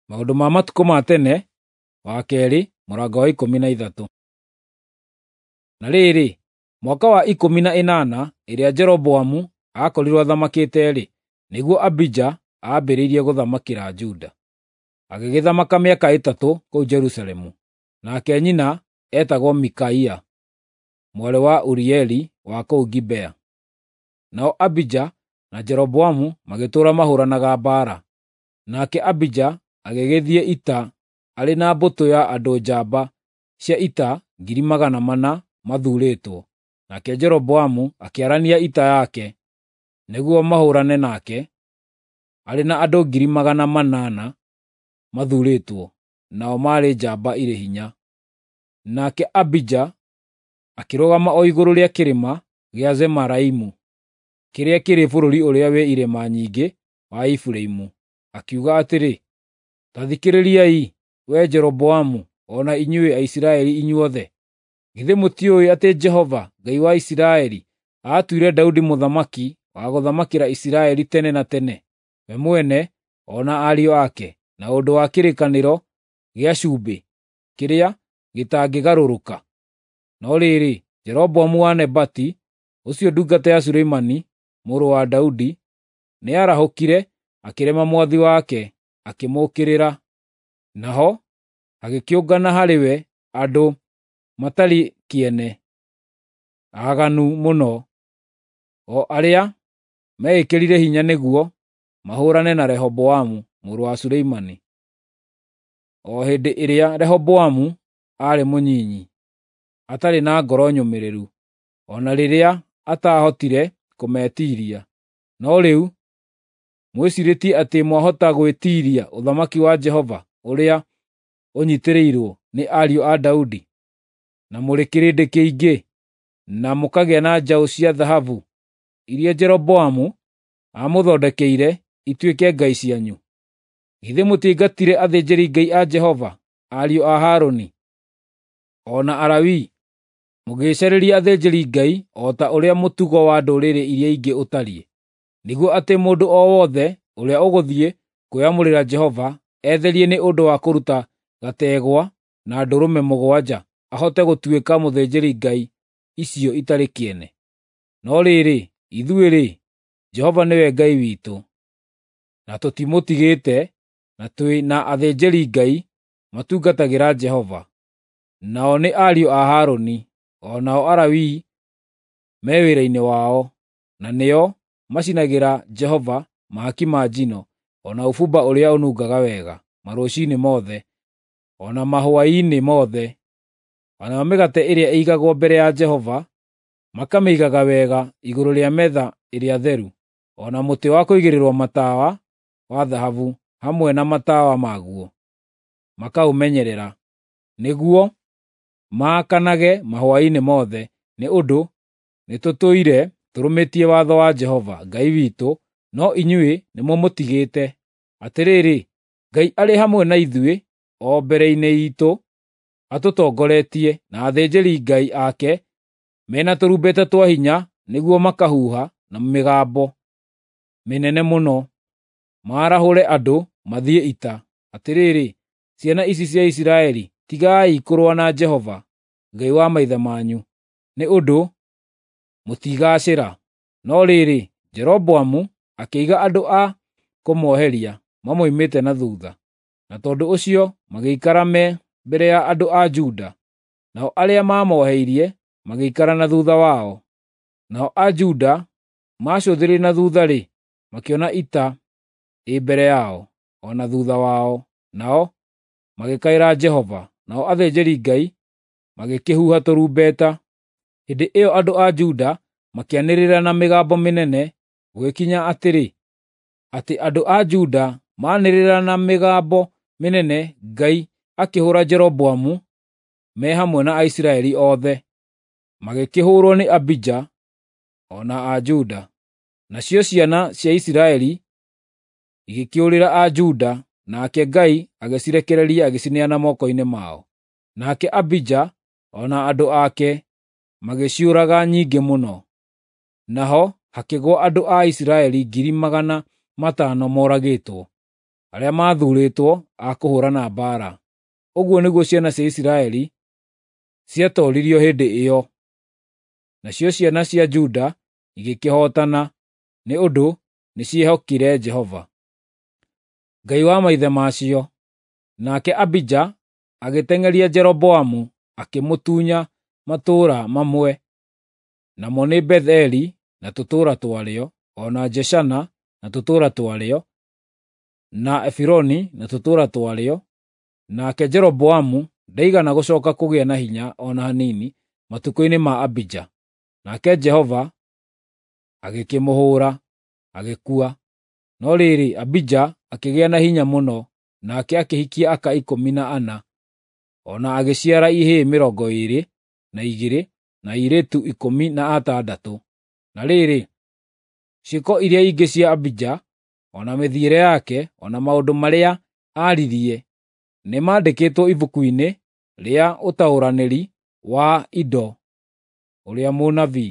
Maũndũ ma Matukũ ma Tene wa kerĩ mũrango wa 13. Na rĩrĩ, mwaka wa 18 ĩrĩa Jeroboamu aakorirwo athamakĩte-rĩ, nĩguo Abija aambĩrĩirie gũthamakĩra Juda. Agĩgĩthamaka mĩaka 3 kũu Jerusalemu. Nake nyina eetagwo Mikaia, mwarĩ wa Urieli wa kũu Gibea. Nao Abija na Jeroboamu magĩtũũra mahũũranaga mbaara. Nake Abija agĩgĩthiĩ ita arĩ na mbũtũ ya andũ njamba cia ita 400,000 mathuurĩtwo. Nake Jeroboamu akĩarania ita yake nĩguo mahũũrane nake, arĩ na andũ 800,000 mathuurĩtwo, nao maarĩ njamba irĩ hinya. Nake Abija akĩrũgama o igũrũ rĩa kĩrĩma gĩa Zemaraimu, kĩrĩa kĩrĩ bũrũri ũrĩa wĩ irĩma nyingĩ wa Efiraimu, akiuga atĩrĩ, “Ta thikĩrĩriai, wee Jeroboamu, o na inyuĩ Aisiraeli inyuothe! Githĩ mũtiũĩ atĩ Jehova, Ngai wa Isiraeli, aatuire Daudi mũthamaki wa gũthamakĩra Isiraeli tene na tene, we mwene o na ariũ ake, na ũndũ wa kĩrĩkanĩro gĩa cumbĩ kĩrĩa gĩtangĩgarũrũka? No rĩrĩ, Jeroboamu wa Nebati, ũcio ndungata ya Suleimani mũrũ wa Daudi, nĩarahũkire akĩrema mwathi wake, akĩmũũkĩrĩra. Naho hagĩkĩũngana harĩ we andũ matarĩ kĩene, aaganu mũno, o arĩa meĩkĩrire hinya nĩguo mahũũrane na Rehoboamu mũrũ wa Suleimani, o hĩndĩ ĩrĩa Rehoboamu aarĩ mũnyinyi, atarĩ na ngoro nyũmĩrĩru, o na rĩrĩa ataahotire kũmetiiria. No rĩu mwĩciirĩtie atĩ mwahota gwĩtiiria ũthamaki wa Jehova ũrĩa ũnyiitĩrĩirwo nĩ ariũ a Daudi, na mũrĩ kĩrĩndĩ kĩingĩ, na mũkagĩa na njaũ cia thahabu iria Jeroboamu aamũthondekeire ituĩke ngai cianyu. Githĩ mũtiaingatire athĩnjĩri-Ngai a Jehova, ariũ a Harũni, o na Alawii, mũgĩĩcarĩria athĩnjĩri-Ngai o ta ũrĩa mũtugo wa ndũrĩrĩ iria ingĩ ũtariĩ, nĩguo atĩ mũndũ o wothe ũrĩa ũgũthiĩ kwĩyamũrĩra Jehova etherie nĩ ũndũ wa kũruta gategwa na ndũrũme 7 ahote gũtuĩka mũthĩnjĩri-ngai icio itarĩ kĩene? No rĩrĩ, ithuĩ-rĩ, Jehova nĩwe Ngai witũ, na tũtimũtigĩte, na twĩ na athĩnjĩri-Ngai matungatagĩra Jehova, nao nĩ ariũ a Harũni, o nao Alawii me wĩra-inĩ wao, na nĩo macinagĩra Jehova mahaki ma njino, o na ũbumba ũrĩa ũnungaga wega, marũciinĩ mothe, o na mahwaĩ-inĩ mothe, o nayo mĩgate ĩrĩa ĩigagwo mbere ya Jehova makamĩigaga wega igũrũ rĩa metha ĩrĩa theru, o na mũtĩ wa kũigĩrĩrwo matawa wa thahabu hamwe na matawa maguo, makaũmenyerera, nĩguo maakanage mahwaĩ-inĩ mothe, nĩ ũndũ nĩtũtũire tũrũmĩtie watho wa Jehova Ngai witũ, no inyuĩ nĩmũmũtigĩte. Atĩrĩrĩ, Ngai arĩ hamwe na ithuĩ o mbere-inĩ iitũ atũtongoretie, na athĩnjĩri-Ngai ake mena tũrumbeta twa hinya nĩguo makahuha na mĩgambo mĩnene mũno, maarahũre andũ mathiĩ ita. Atĩrĩrĩ, ciana ici cia Isiraeli, tigai kũrũa na Jehova, Ngai wa maithe manyu, nĩ ũndũ mũtigaacĩra. No rĩrĩ, Jeroboamu akĩiga andũ a kũmoheria mamoimĩte na thuutha, na tondũ ũcio magĩikara me mbere ya andũ a Juda, nao arĩa maamoheirie magĩikara na thuutha wao. Nao a Juda maacũthĩrĩria na thuutha-rĩ, makĩona ita ĩ mbere yao, o na thuutha wao, nao magĩkaĩra Jehova, nao athĩnjĩri-Ngai magĩkĩhuha tũrumbeta. Hĩndĩ ĩyo andũ a Juda makĩanĩrĩra na mĩgambo mĩnene, gũgĩkinya atĩrĩ, atĩ andũ a Juda maanĩrĩra na mĩgambo mĩnene, Ngai akĩhũũra Jeroboamu me hamwe na Aisiraeli othe, magĩkĩhũũrwo nĩ Abija o na a Juda. Nacio ciana cia Isiraeli igĩkĩũrĩra a Juda, nake Ngai agĩcirekereria agĩcineana moko-inĩ mao. Nake Abija o na andũ ake magĩciũraga nyingĩ mũno. Naho hakĩgũa andũ a Isiraeli 500,000 moragĩtwo. arĩa maathuurĩtwo a kũhũũrana mbaara. Ũguo nĩguo ciana cia Isiraeli ciatooririo hĩndĩ ĩyo. Nacio ciana cia Juda igĩkĩhootana, nĩ ũndũ nĩciehokire Jehova, Ngai wa maithe macio. Nake Abija agĩteng'eria Jeroboamu akĩmũtunya matũũra mamwe, namo nĩ Beth-eli na tũtũũra twarĩo, o na Jeshana na tũtũũra twarĩo, na Efironi na tũtũũra twarĩo. Nake Jeroboamu ndaigana gũcooka kũgĩa na hinya o na hanini matukũ-inĩ ma Abija. Nake Jehova agĩkĩmũhũũra, agĩkua. No rĩrĩ, Abija akĩgĩa na hinya mũno, nake akĩhikia aka 14, o na agĩciara ihĩĩ 22 na airĩtu 16. Na rĩrĩ, ciĩko iria ingĩ cia Abija, o na mĩthiĩre yake, o na maũndũ marĩa aaririe, nĩmandĩkĩtwo ibuku-inĩ rĩa ũtaũranĩri wa Ido ũrĩa mũnabii.